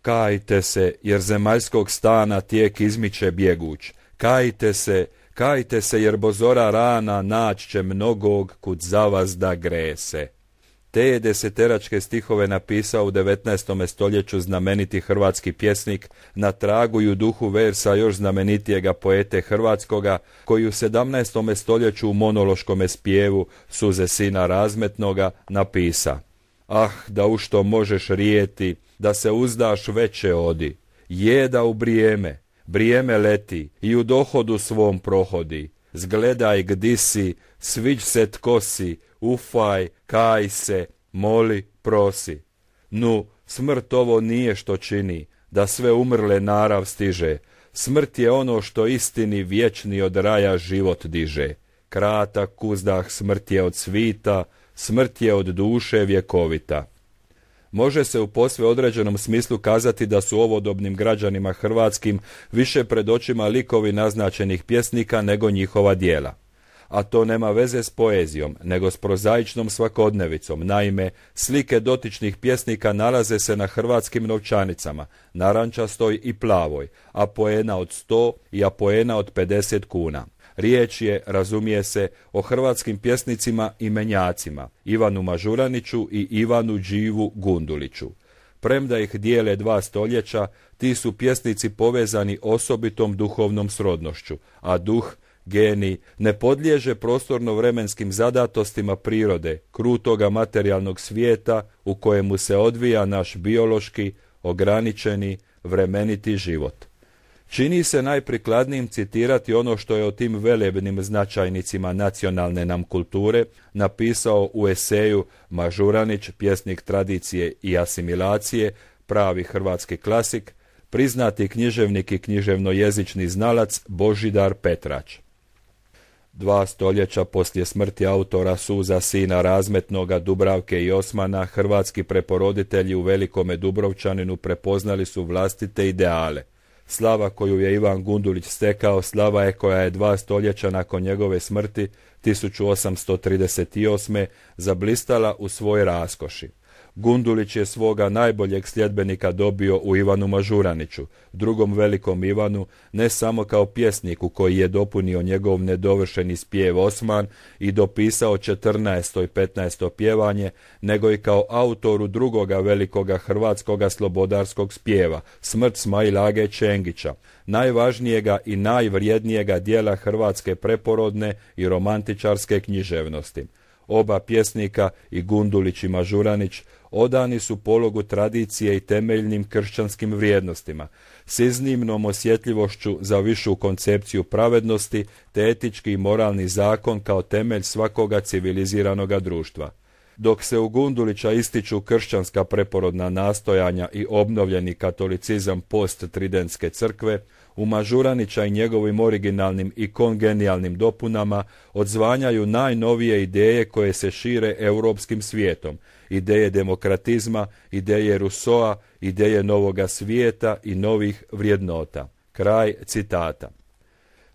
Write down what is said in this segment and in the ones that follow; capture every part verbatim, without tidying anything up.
Kajte se, jer zemaljskog stana tijek izmiče bjeguć. Kajte se, kajte se, jer bozora rana nać će mnogog kud zavazda grese. Te je deseteračke stihove napisao u devetnaestom stoljeću znameniti hrvatski pjesnik, na tragu i u duhu versa još znamenitijega poete hrvatskoga, koji u sedamnaestom stoljeću u monološkome spjevu Suze sina razmetnoga napisa: Ah, da u što možeš rijeti, da se uzdaš veće odi, jeda u brijeme, brijeme leti i u dohodu svom prohodi. Zgledaj gdi si, sviđ se tko si, ufaj, kaj se, moli, prosi. Nu, smrt ovo nije što čini, da sve umrle narav stiže. Smrt je ono što istini vječni od raja život diže. Kratak uzdah smrt je od svita, smrt je od duše vjekovita. Može se u posve određenom smislu kazati da su ovodobnim građanima hrvatskim više pred očima likovi naznačenih pjesnika nego njihova djela. A to nema veze s poezijom, nego s prozaičnom svakodnevicom. Naime, slike dotičnih pjesnika nalaze se na hrvatskim novčanicama, narančastoj i plavoj, apoena od sto i apoena od pedeset kuna. Riječ je, razumije se, o hrvatskim pjesnicima i menjacima, Ivanu Mažuraniću i Ivanu Đivu Gunduliću. Premda ih dijele dva stoljeća, ti su pjesnici povezani osobitom duhovnom srodnošću, a duh, genij, ne podliježe prostorno-vremenskim zadatostima prirode, krutoga materijalnog svijeta u kojemu se odvija naš biološki, ograničeni, vremeniti život. Čini se najprikladnijim citirati ono što je o tim velebnim značajnicima nacionalne nam kulture napisao u eseju Mažuranić, pjesnik tradicije i asimilacije, pravi hrvatski klasik, priznati književnik i književnojezični znalac Božidar Petrač. Dva stoljeća poslije smrti autora Suza sina razmetnoga Dubravke i Osmana, hrvatski preporoditelji u Velikome Dubrovčaninu prepoznali su vlastite ideale. Slava koju je Ivan Gundulić stekao, slava je koja je dva stoljeća nakon njegove smrti, tisuću osamsto trideset osme. zablistala u svoj raskoši. Gundulić je svoga najboljeg sljedbenika dobio u Ivanu Mažuraniću, drugom velikom Ivanu, ne samo kao pjesniku koji je dopunio njegov nedovršeni spjev Osman i dopisao četrnaesto i petnaesto pjevanje, nego i kao autoru drugoga velikoga hrvatskoga slobodarskog spjeva, Smrt Smail Age Čengića, najvažnijega i najvrijednijega dijela hrvatske preporodne i romantičarske književnosti. Oba pjesnika, i Gundulić i Mažuranić, odani su pologu tradicije i temeljnim kršćanskim vrijednostima, s iznimnom osjetljivošću za višu koncepciju pravednosti te etički i moralni zakon kao temelj svakoga civiliziranoga društva. Dok se u Gundulića ističu kršćanska preporodna nastojanja i obnovljeni katolicizam post-tridentske crkve, u Mažuranića i njegovim originalnim i kongenijalnim dopunama odzvanjaju najnovije ideje koje se šire europskim svijetom, ideje demokratizma, ideje Rousseaua, ideje novoga svijeta i novih vrijednota. Kraj citata.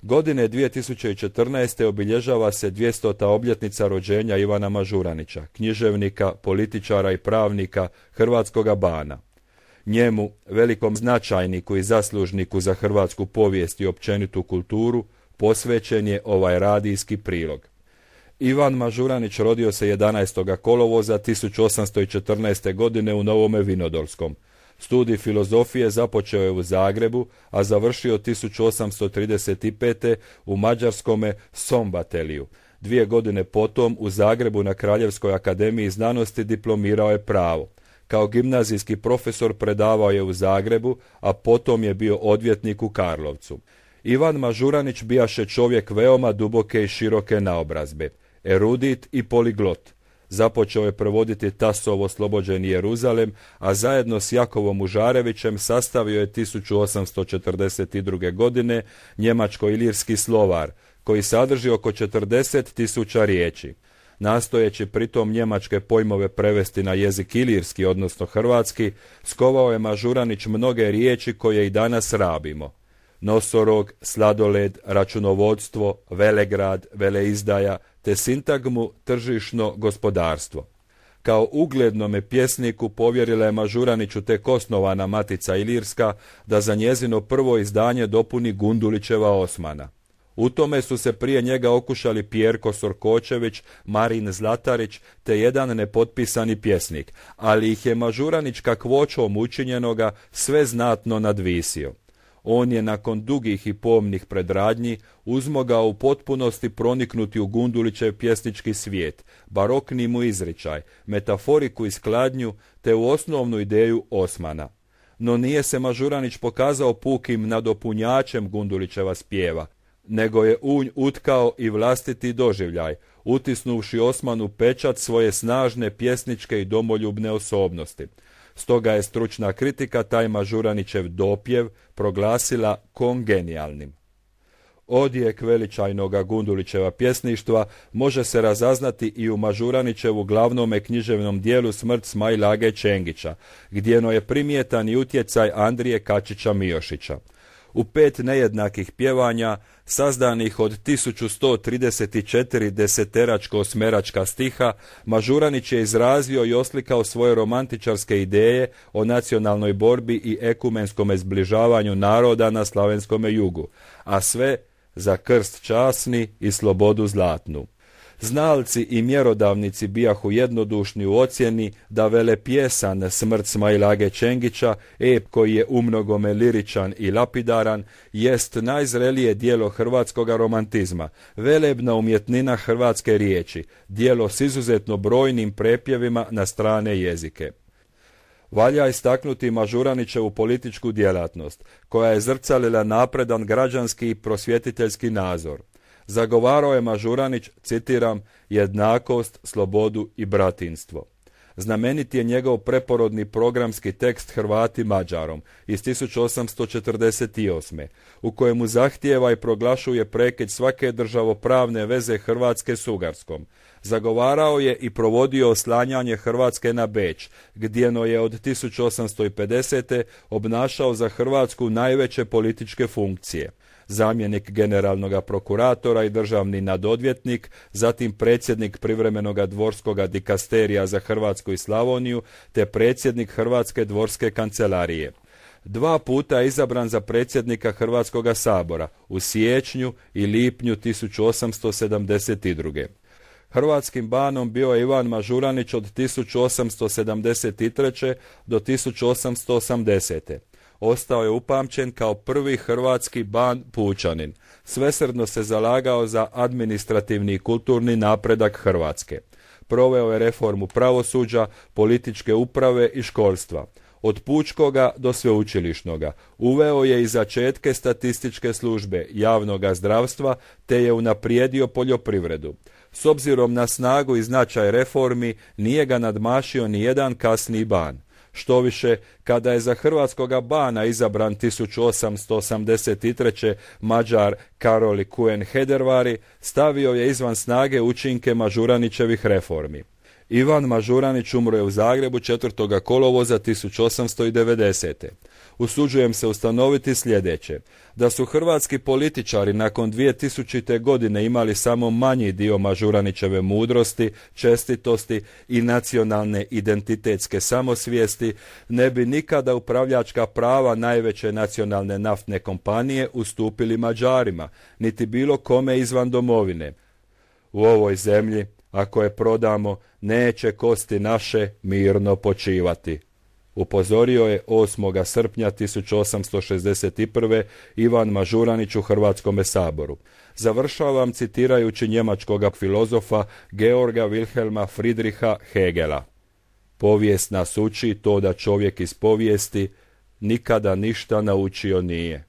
Godine dvije tisuće četrnaeste. obilježava se dvjestota obljetnica rođenja Ivana Mažuranića, književnika, političara i pravnika hrvatskoga bana. Njemu, velikom značajniku i zaslužniku za hrvatsku povijest i općenitu kulturu, posvećen je ovaj radijski prilog. Ivan Mažuranić rodio se jedanaestog kolovoza tisuću osamsto četrnaeste. godine u Novome Vinodolskom. Studij filozofije započeo je u Zagrebu, a završio tisuću osamsto trideset pete. u mađarskome Sombateliju. Dvije godine potom u Zagrebu na Kraljevskoj akademiji znanosti diplomirao je pravo. Kao gimnazijski profesor predavao je u Zagrebu, a potom je bio odvjetnik u Karlovcu. Ivan Mažuranić bijaše čovjek veoma duboke i široke naobrazbe, erudit i poliglot. Započeo je prevoditi Tasov Oslobođeni Jeruzalem, a zajedno s Jakovom Užarevićem sastavio je tisuću osamsto četrdeset druge. godine njemačko-ilirski slovar, koji sadrži oko četrdeset tisuća riječi. Nastojeći pritom njemačke pojmove prevesti na jezik ilirski, odnosno hrvatski, skovao je Mažuranić mnoge riječi koje i danas rabimo. Nosorog, sladoled, računovodstvo, velegrad, veleizdaja, te sintagmu tržišno gospodarstvo. Kao uglednome pjesniku povjerila je Mažuraniću tek osnovana Matica Ilirska da za njezino prvo izdanje dopuni Gundulićeva Osmana. U tome su se prije njega okušali Pjerko Sorkočević, Marin Zlatarić te jedan nepotpisani pjesnik, ali ih je Mažuranić kakvoćom učinjenoga sve znatno nadvisio. On je nakon dugih i pomnih predradnji uzmogao u potpunosti proniknuti u Gundulićev pjesnički svijet, barokni mu izričaj, metaforiku i skladnju te u osnovnu ideju Osmana. No nije se Mažuranić pokazao pukim nadopunjačem Gundulićeva spjeva, nego je u nj utkao i vlastiti doživljaj, utisnuvši Osmanu pečat svoje snažne pjesničke i domoljubne osobnosti. Stoga je stručna kritika taj Mažuranićev dopjev proglasila kongenijalnim. Odjek veličajnoga Gundulićeva pjesništva može se razaznati i u Mažuranićevu glavnome književnom dijelu Smrt Smail Age Čengića, gdjeno je primjetan i utjecaj Andrije Kačića Miošića. U pet nejednakih pjevanja, sazdanih od tisuću sto trideset četiri deseteračko-osmeračka stiha, Mažuranić je izrazio i oslikao svoje romantičarske ideje o nacionalnoj borbi i ekumenskome zbližavanju naroda na slavenskome jugu, a sve za krst časni i slobodu zlatnu. Znalci i mjerodavnici bijahu jednodušni u ocjeni da velepjesan Smrt Smail Age Čengića, ep koji je umnogome liričan i lapidaran, jest najzrelije dijelo hrvatskoga romantizma, velebna umjetnina hrvatske riječi, dijelo s izuzetno brojnim prepjevima na strane jezike. Valja istaknuti Mažuranićevu političku djelatnost, koja je zrcalila napredan građanski i prosvjetiteljski nazor. Zagovarao je Mažuranić, citiram, jednakost, slobodu i bratinstvo. Znamenit je njegov preporodni programski tekst Hrvati Mađarom iz tisuću osamsto četrdeset osme. u kojemu zahtijeva i proglašuje prekid svake državopravne veze Hrvatske s Ugarskom. Zagovarao je i provodio oslanjanje Hrvatske na Beč, gdjeno je od tisuću osamsto pedesete. obnašao za Hrvatsku najveće političke funkcije. Zamjenik generalnog prokuratora i državni nadodvjetnik, zatim predsjednik privremenoga dvorskoga dikasterija za Hrvatsku i Slavoniju, te predsjednik Hrvatske dvorske kancelarije. Dva puta je izabran za predsjednika Hrvatskoga sabora, u siječnju i lipnju tisuću osamsto sedamdeset druge. Hrvatskim banom bio je Ivan Mažuranić od tisuću osamsto sedamdeset treće. do tisuću osamsto osamdesete. Ostao je upamćen kao prvi hrvatski ban pučanin. Svesrdno se zalagao za administrativni i kulturni napredak Hrvatske. Proveo je reformu pravosuđa, političke uprave i školstva. Od pučkoga do sveučilišnoga. Uveo je i začetke statističke službe, javnoga zdravstva, te je unaprijedio poljoprivredu. S obzirom na snagu i značaj reformi, nije ga nadmašio ni jedan kasniji ban. Štoviše, kada je za hrvatskoga bana izabran tisuću osamsto osamdeset treće. Mađar Karoli Kuen Hedervari, stavio je izvan snage učinke Mažuranićevih reformi. Ivan Mažuranić umro je u Zagrebu četvrtog kolovoza tisuću osamsto devedesete. Usuđujem se ustanoviti sljedeće, da su hrvatski političari nakon dvije tisućite. godine imali samo manji dio Mažuranićeve mudrosti, čestitosti i nacionalne identitetske samosvijesti, ne bi nikada upravljačka prava najveće nacionalne naftne kompanije ustupili Mađarima, niti bilo kome izvan domovine. U ovoj zemlji, ako je prodamo, neće kosti naše mirno počivati. Upozorio je osmog srpnja tisuću osamsto šezdeset prve. Ivan Mažuranić u Hrvatskome saboru. Završavam citirajući njemačkog filozofa Georga Wilhelma Friedricha Hegela. Povijest nas uči to da čovjek iz povijesti nikada ništa naučio nije.